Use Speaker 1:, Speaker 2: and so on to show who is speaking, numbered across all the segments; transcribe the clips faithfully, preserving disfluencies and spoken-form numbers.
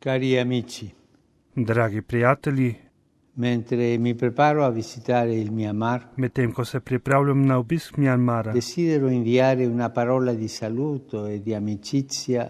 Speaker 1: Cari amici,
Speaker 2: Dragi prijatelji,
Speaker 1: mentre mi preparo a visitare il Myanmar,
Speaker 2: medtem ko se pripravljam na obisk Mjanmara,
Speaker 1: desidero inviare una parola di saluto e di amicizia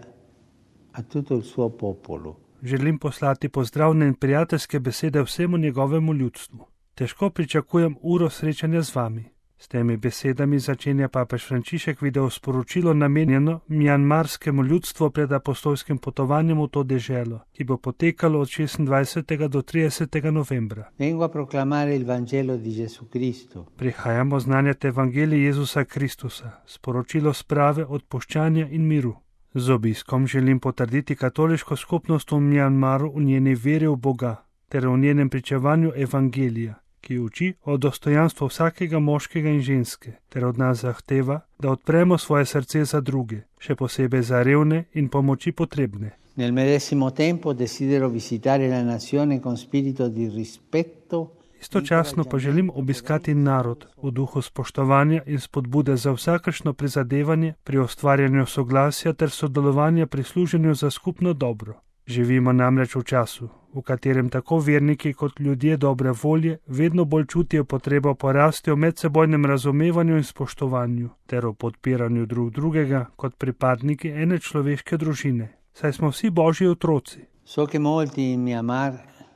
Speaker 1: a tutto il suo popolo.
Speaker 2: želim poslati pozdravne in prijateljske besede vsemu njegovemu ljudstvu. Težko pričakujem uro srečanja z vami. S temi besedami začenja papež Frančišek video sporočilo namenjeno mjanmarskemu ljudstvu pred apostolskim potovanjem v to deželo, ki bo potekalo od šestindvajsetega do tridesetega novembra.
Speaker 1: Vengo a proclamare il Vangelo di Gesù Cristo,
Speaker 2: Prihajamo znanjati evangelij Jezusa Kristusa, sporočilo sprave, odpuščanja in miru. Z obiskom želim potrditi katoliško skupnost v Mjanmaru v njeni veri v Boga ter v njenem pričevanju evangelija, ki uči o dostojanstvu vsakega moškega in ženske, ter od nas zahteva, da odpremo svoje srce za druge, še posebej za revne in pomoči potrebne.
Speaker 1: nel medesimo tempo desidero visitare la nazione con spirito di rispetto.
Speaker 2: Istočasno pa želim obiskati narod v duhu spoštovanja in spodbude za vsakršno prizadevanje pri ustvarjanju soglasja ter sodelovanja pri služenju za skupno dobro. Živimo namreč v času, v katerem tako verniki kot ljudje dobre volje vedno bolj čutijo potrebo po rasti v medsebojnem razumevanju in spoštovanju ter v podpiranju drug drugega kot pripadniki ene človeške družine. Saj smo vsi Božji otroci.
Speaker 1: So che molti in Myanmar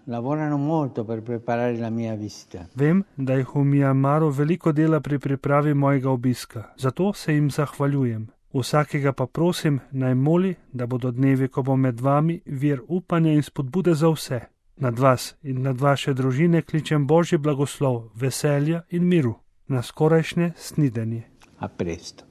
Speaker 1: lavorano molto per preparare la mia visita.
Speaker 2: Vem, da jih v Mjanmaru veliko dela pri pripravi mojega obiska, zato se jim zahvaljujem. Vsakega pa prosim, naj moli, da bodo dnevi, ko bo med vami, vir upanja in spodbude za vse. Nad vas in nad vaše družine kličem Božji blagoslov, veselja in miru. Na skorajšnje snidenje.
Speaker 1: A presto.